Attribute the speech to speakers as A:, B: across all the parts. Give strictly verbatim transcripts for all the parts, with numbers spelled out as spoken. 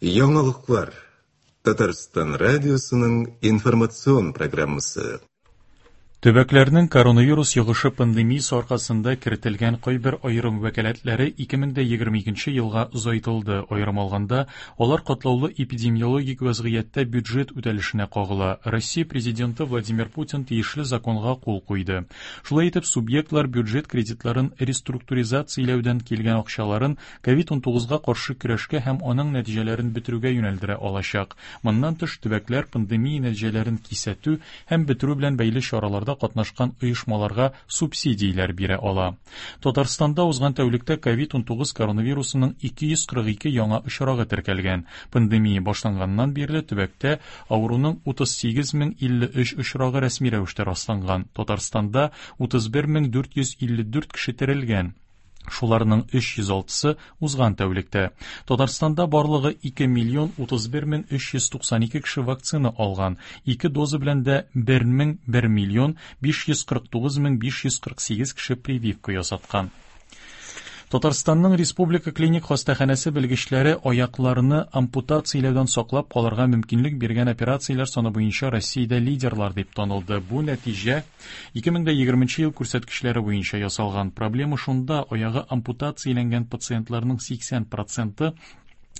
A: Яңалыклар. Татарстан радиосының информацион программасы.
B: Төбәкләрнең коронавирус йогышы пандемиясе аркасында кертелгән кайбер аерым вәкаләтләре ике мең дә егерме икенче елга озайтылды. Аерым алганда, алар катлаулы эпидемиологик вазгыятьтә бюджет үтәлешенә кагыла. Россия президенты Владимир Путин тиешле законга кул куйды. Шулай итеп, субъектлар бюджет кредитларын реструктуризацияләүдән килгән акчаларын ковид унтугызга каршы көрәшкә һәм аның нәтиҗәләрен бетерүгә юнәлдерә алачак. Моннан тыш, төбәкләр пандемия нәтиҗәләрен кисәтү һәм бетерү белән бәйле чараларда катнашкан оешмаларга субсидияләр бирә ала. Татарстанда узган тәүлектә ковид унтугыз коронавирусының ике йөз кырык ике яңа очрагы теркәлгән. Пандемия башланганнан бирле төбәктә авыруның утыз сигез мең илле өч очрагы рәсми рәвештә расланган. Татарстанда утыз бер мең дүрт йөз илле дүрт кеше терелгән. Шуларның өч йөз алтысы узган тәүлектә. Татарстанда барлыгы ике миллион утыз бер мең өч йөз туксан ике кеше вакцина алган. Ике доза белән дә бер мең бер миллион биш йөз кырык тугыз мең биш йөз кырык сигез кеше прививка ясаткан. Татарстанның Республика клиник хастаханәсе белгечләре аякларны ампутацияләүдән саклап калырга мөмкинлек биргән операцияләр саны буенча Россиядә лидерлар дип танылды. Бу нәтиҗә ике мең дә егерменче ел күрсәткечләре буенча ясалган. Проблема шунда, аягы ампутацияләнгән пациентларның сиксән проценты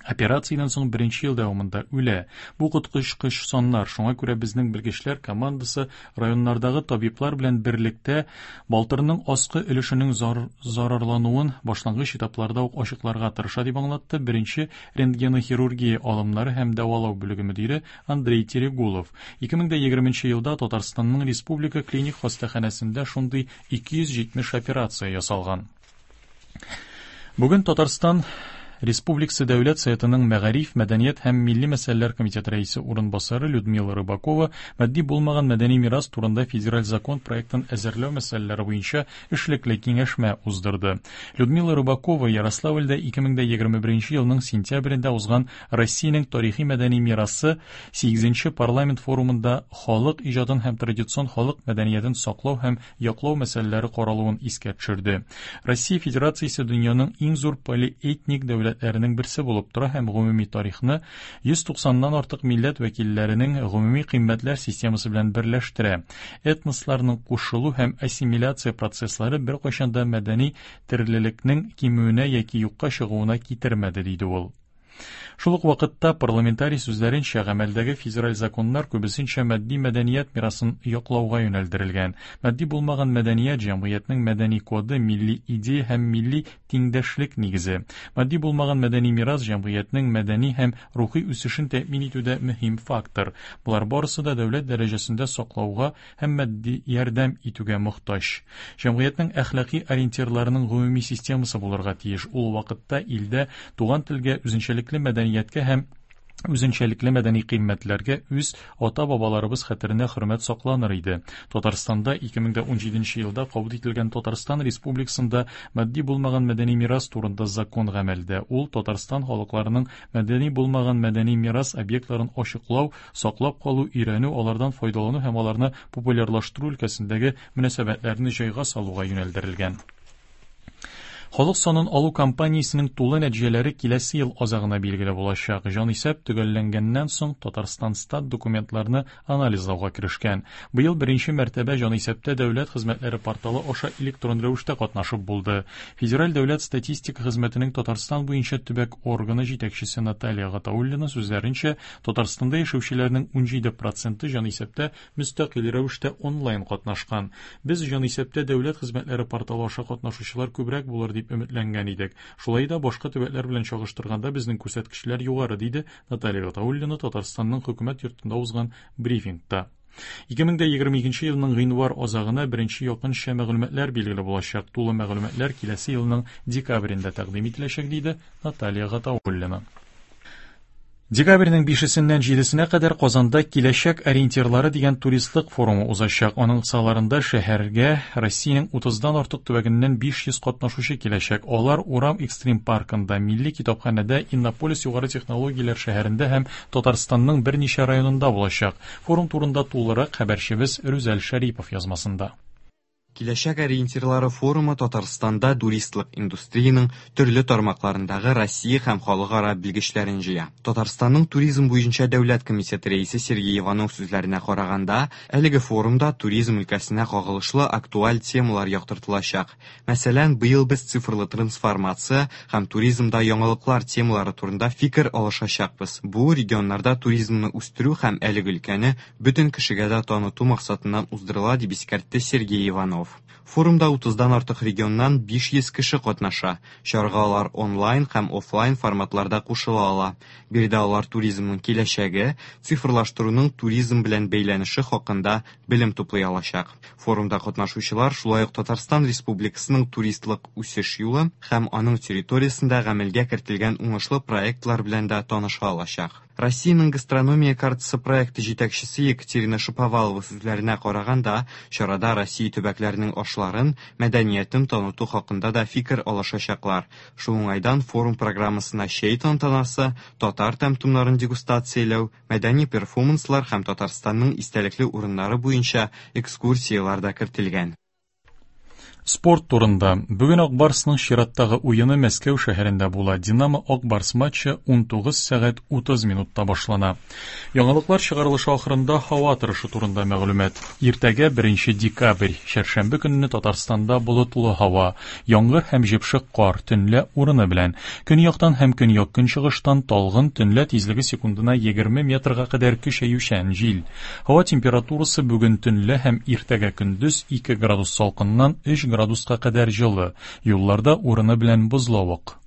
B: операциядән соң беренче ел дәвамында үлә. Бу коточкыч саннар. Шуңа күрә безнең белгечләр командасы районнардагы табиблар белән берлектә балтырның аскы өлешенең зар-, зарарлануын башлангыч этапларда ук ачыкларга тырыша, дип аңлатты беренче рентгенохирургия алымнары һәм дәвалау бүлеге мөдире Андрей Терегулов. Ике мең дә егерменче елда Татарстанның Республика клиник хастаханәсендә шундый ике йөз җитмеш операция ясалган. Бүген Татарстан Республикасы Дәүләт Советының Мәгариф, Мәдәният һәм Милли мәсьәләләр комитеты рәисе урынбасары Людмила Рыбакова матди булмаган мәдәни мирас турында федераль закон проектын әзерләү мәсьәләләре буенча эшлекле киңәшмә уздырды. Людмила Рыбакова Ярославльдә ике мең дә егерме беренче елның сентябрендә узган Россиянең тарихи мәдәни мирасы сигезенче парламент форумында халык иҗатын һәм традицион халык мәдәниятен саклау һәм яклау мәсьәләләре каралуын искә төшерде. Россия Федерациясе дөньяның иң зур полиэтник дәүләтләренең берсе булып тора һәм гомуми тарихны йөз туксаннан артык милләт вәкилләренең гомуми кыйммәтләр системасы белән берләштерә. Этносларның кушылу һәм ассимиляция процесслары беркайчан да мәдәни төрлелекнең кимүенә яки юкка чыгуына китермәде, диде ул. Шул ук вакытта парламентарий сүзләренчә, гамәлдәге федераль законнар күбесенчә матди мәдәният мирасын яклауга юнәлдерелгән. Матди булмаган мәдәният җәмгыятьнең мәдәни коды, милли идея һәм милли тиңдәшлек нигезе. Матди булмаган мәдәни мирас җәмгыятьнең мәдәни һәм рухи үсешен тәэмин итүдә мөһим фактор. Болар барысы да дәүләт дәрәҗәсендә саклауга һәм матди ярдәм итүгә мохтаҗ. Җәмгыятьнең әхлаки ориентирларының гомуми системасы булырга тиеш. Ул вакытта илдә туган телгә, үзенчәлекле мәдәнияткә һәм үзенчәлекле мәдәни кыйммәтләргә үз ата-бабаларыбыз хәтеренә хөрмәт сакланыр иде. Татарстанда ике мең дә унҗиденче елда кабул ителгән Татарстан Республикасында матди булмаган мәдәни мирас турында закон гамәлдә. Ул Татарстан халыкларының мәдәни булмаган мәдәни мирас объектларын ачыклау, саклап калу, өйрәнү, алардан файдалану һәм аларны популярлаштыру өлкәсендәге мөнәсәбәтләрне җайга салуга юнәлдерелгән. Халык санын алу кампаниясенең тулы нәтиҗәләре киләсе ел азагына билгеле булачак. Җанисәп төгәлләнгәннән соң Татарстан стат документларны анализлауга керешкән. Быел беренче мәртәбә җанисәптә дәүләт хезмәтләре порталы аша электрон рәвештә катнашып булды. Федераль дәүләт статистика хезмәтенең Татарстан буенча төбәк органы җитәкчесе Наталья Гатауллина сүзләренчә, Татарстанда яшәүчеләрнең унҗиде проценты җанисәптә мөстәкыйль рәвештә онлайн катнашкан. Без җанисәптә дәүләт хезмәтләре порталы аша катнашучылар күбрәк булыр дип өметләнгән идек. Шулай да башка төбәкләр белән чагыштырганда безнең күрсәткечләр югары, диде Наталья Гатауллина Татарстанның хөкүмәт йортында узган брифингта. Ике мең дә егерме икенче елның гыйнвар азагына беренче якынча мәгълүматлар билгеле булачак. Тулы мәгълүматлар киләсе елның декабрендә тәкъдим ителәчәк, диде Наталья Гатауллина. Декабрьнең бишесеннән җидесенә кадәр Казанда Киләчәк ориентирлары дигән туристлык форумы узачак. Аның кысаларында шәһәргә Россиянең утыздан артык төбәгеннән биш йөз катнашучы киләчәк. Алар Урам экстрим паркында, Милли китапханәдә, Иннополис югары технологияләр шәһәрендә һәм Татарстанның берничә районында булачак. Форум турында тулырак хәбәрчебез Рүзәл Шәрипов язмасында.
C: Киләчәк ориентирлары форумы Татарстанда туристлык индустриянең төрле тармакларындагы Россия һәм халыкара белгечләрен җыя. Татарстанның туризм буенча дәүләт комитеты рәисе Сергей Иванов сүзләренә караганда, әлеге форумда туризм өлкәсенә кагылышлы актуаль темалар яктыртылачак. Мәсәлән, быел без цифрлы трансформация һәм туризмда яңалыклар темалары турында фикер алышачакбыз. Бу регионнарда туризмны үстерү һәм әлеге өлкәне бөтен кешегә дә таныту максатыннан уздырыла, дип искәртте Сергей Иванов. Форумда утыздан артык регионнан биш йөз кеше катнаша. Чарага алар онлайн һәм офлайн форматларда кушыла ала. Биредә алар туризмның киләчәге, цифрлаштыруның туризм белән бәйләнеше хакында белем туплый алачак. Форумда катнашучылар шулай ук Татарстан Республикасының туристлык үсеш юлы һәм аның территориясендә гамәлгә кертелгән уңышлы проектлар белән дә таныша алачак. Россиянең гастрономия картасы проекты җитәкчесе Екатерина Шаповалова сүзләренә караганда, чарада Россия төбәкләренең ашларын, мәдәниятен таныту хакында да фикер алышачаклар. Шул уңайдан форум программасына чәй тантанасы, татар тәм-томнарын дегустацияләү, мәдәни перформанслар һәм Татарстанның истәлекле урыннары буенча экскурсияләр дә кертелгән.
B: Спорт турында. Бүген Ак Барсның чираттагы уены Мәскәү шәһәрендә була. Динамо Ак Барс матчы унтугыз сәгать утыз минутта башлана. Яңалыклар чыгарылышы ахырында һава торышы турында мәгълүмат. Иртәгә беренче декабрь, чәршәмбе көнне Татарстанда болытлы һава, яңгыр һәм җепшек кар, төнлә урыны белән. Көньяктан һәм көньяк-көнчыгыштан талгын, төнлә тизлеге секундына егерме метрга кадәр көчәючән җил. Һава температурасы бүген төнлә һәм иртәгә көндез ике градус салкыннан өч градуска кадәр җылы. Юлларда урыны белән бозлавык.